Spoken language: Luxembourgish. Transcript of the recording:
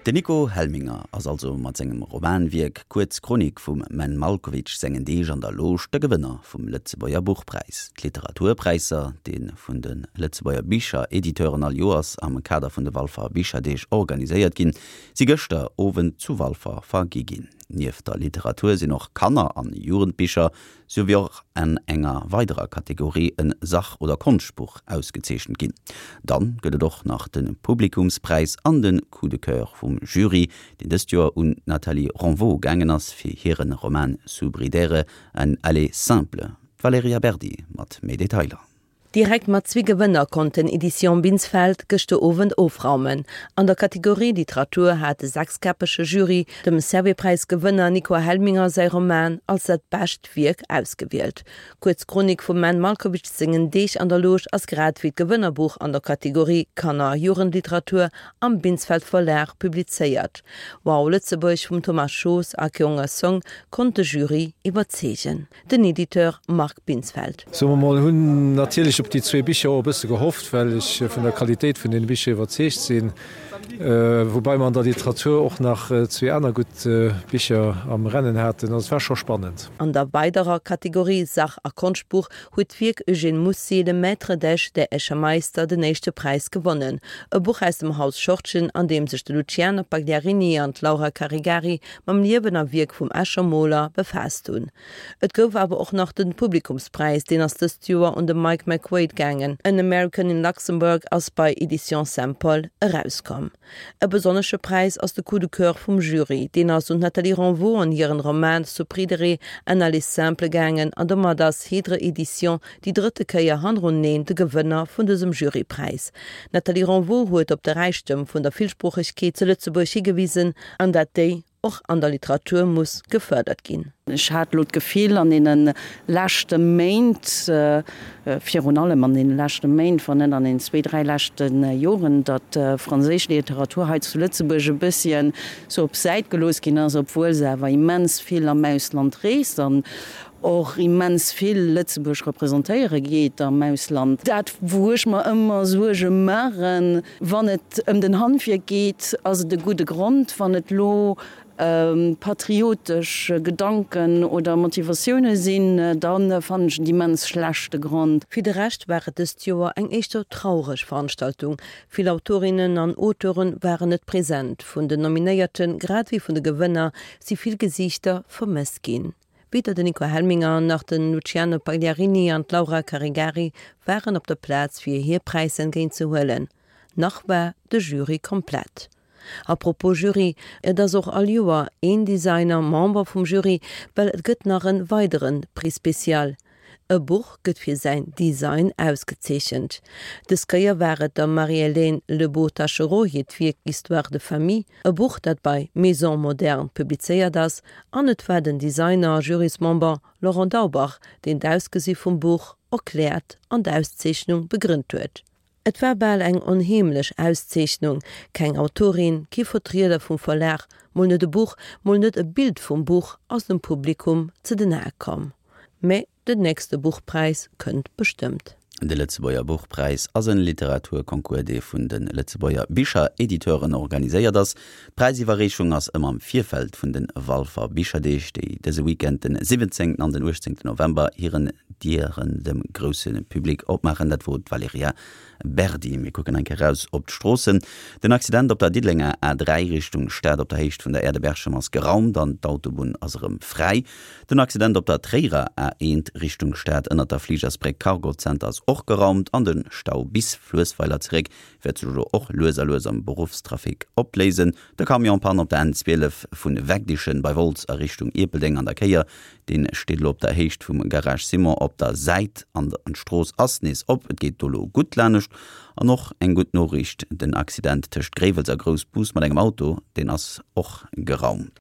Den Nico Helminger ass also mat sengem Romanwierk Kuerz Chronik vum Menn Malkowitsch sengen Deeg an der Loge de Gewënner vum Lëtzebuerger Buchpräis. D'Literaturpräisser, dee vun de Lëtzebuerger Bicherediteuren all Joers am Kader vun de Walfer Bicherdeeg organiséiert ginn, si gëschter Owend zu Walfer vergi ginn. Nieft der Literatur sinn och Kanner an Jugendbicher, sou wéi och an enger weiderer Kategorie en Sach oder Konschtbuch ausgezeechent ginn. Dann gëtt et och nach de Publikumspräis an de Coup de Coeur vum Jury, deen dëst Joer un d'Nathalie Ronvaux gaangen ass fir hiren Roman Sous-Bridere, un aller simple. D'Valerija Berdi mat méi Detailer. Direkt mat zwee Gewënner konnt den Editions Binsfeld gëschter Owend ofraumen. An der Kategorie Literatur hat de sechskäppege Jury dem Servais-Präis-Gewënner Nico Helminger säi Roman als dat bescht Wierk ausgewielt. D'kuerz Chronik vum Menn Malkowitsch sengen Deeg an der Loge ass grad wéi d'Gewënnerbuch an der Kategorie Kanner a Jugendliteratur am Binsfeld Verlag publizéiert. Wow Lëtzebuerg vum Thomas Schoos a Kyonga Song konnt de Jury iwwerzeegen. Den Editeur Marc Binsfeld. Soe mer mol, hunn natierlech op déi zwee Bicher och e bësse gehofft, well ech vun der Qualitéit vun deene Bicher iwwerzeegt sinn, woubai mer an der Literatur och nach zwee aner gutt Bicher am Rennen haten. Also et war scho spannend. An der weiderer Kategorie Sach a Konschtbuch huet d'Wierk Eugène Mussi, Le Maître d'Esch, der Escher Meister den éischte Präis gewonnen. E Buch aus dem Haus Schortgen, an deem sech de Luciano Pagliarini an d'Laura Caregari mam Liewen a Wierk vum Escher Moler befaasst hunn. Et gouf awer och nach den Publikumspräis, deen ass dëst Joer un de Mike McQuaid gaangen. An American in Luxembourg ass bei Editions Saint-Paul erauskomm. E besonnesche Präis ass de Coup de Coeur vum Jury, deen ass un d'Nathalie Renvaux an hiren Roman Supridere, un aller simple gaangen an domat ass Hydre Editions déi drëtte Kéier hanneruneen de Gewënner vun dësem Jurypräis. D'Nathalie Renvaux huet op de Räichtem vun der Villsproochegkeet zu Lëtzebuerg higewisen an dat déi och an der Literatur muss gefërdert ginn. Ech hat elo d'Gefill an deene leschte Méint, virun allem an deene leschte Méint, wann net an den zwee, dräi leschte Joren, datt franséisch Literatur hei zu Lëtzebuerg e bësschen sou op d'Säit gelooss ginn ass, obwuel se awer immens vill am Ausland reest an och immens vill Lëtzebuerg representéiere geet am Ausland. Dat, wou ech mer ëmmer Suerge maachen, wann et ëm den Handwierk geet, ass et e gudde Grond. Wann et elo patriotesch Gedanken oder Motivatioune sinn, da fannen ech et immens schlechte Grond. Fir de Rescht war et dëst Joer eng éischter traureg Veranstaltung. Vill Autorinnen an Auteure waren net present. Vun den Nominéierten, grad ewéi vun de Gewënner, si vill Gesiichter vermësst ginn. Weder den Nico Helminger nach den Luciano Pagliarini an d'Laura Caregari waren op der Plaz fir hir Präisser entgéint ze huelen. Nach war de Jury komplett. A propos Jury, et ass och all Joer een Designer Member vum Jury, well et gëtt nach en weideren Prix spécial. E Buch gëtt fir säin Design ausgezeechent. Dës Kéier war et der Marie-Hélène Lebeau-Taschereau hiert Wierk Histoires de famille, e Buch dat bei Maison Moderne publizéiert ass, an et war den Designer a Jurysmember Laurent Daubach, deen d'Ausgesi vum Buch erkläert an d'Auszeechnung begrënnt huet. Et war bal eng onheemlech Auszeechnung, keng Autorin, kee Vertrieder vum Verlag, mol net e Buch, mol net e Bild vum Buch ass dem Publikum ze den Ae komm. Mä den nächste Buchpräis kënnt bestëmmt. De Lëtzebuerger Buchpräis ass en Literaturconcours, dee vun de Lëtzebuerger Bicherediteuren organiséiert ass. D'Präisiwwerreechung ass ëmmer am Virfeld vun de Walfer Bicherdeeg, déi dëse Weekend den 17 an den 18 November hiren Dieren dem grousse Public opmaachen. Dat wor d'Valerija Berdi. Mir kucken eng Kéier raus op d'Stroossen. Den Accident op der Diddelenger A3 Richtung Stad op der Héicht vun der Aire de Berchem ass geraumt an d'Autobunn ass erëm fräi. Den Accident op der Tréierer A1 Richtung Stad ënnert der Fligersbréck Cargo Center ass och geraumt an de Stau bis Fluessweiler zeréck wäert sech elo och lues a lues am Beruffstrafic opléisen. De Camion-Panne op der N12 vu Wegdichen bei Wolz a Richtung Ierpeldeng an der Kéier, dee steet elo op der Héicht vum Garage Simon op der Säit an d'Strooss ass nees op. Et geet do elo gutt lanescht. An och eng gutt Noriicht, den Accident tëscht Gréiwels a Groussbus mat engem Auto, deen ass och geraumt.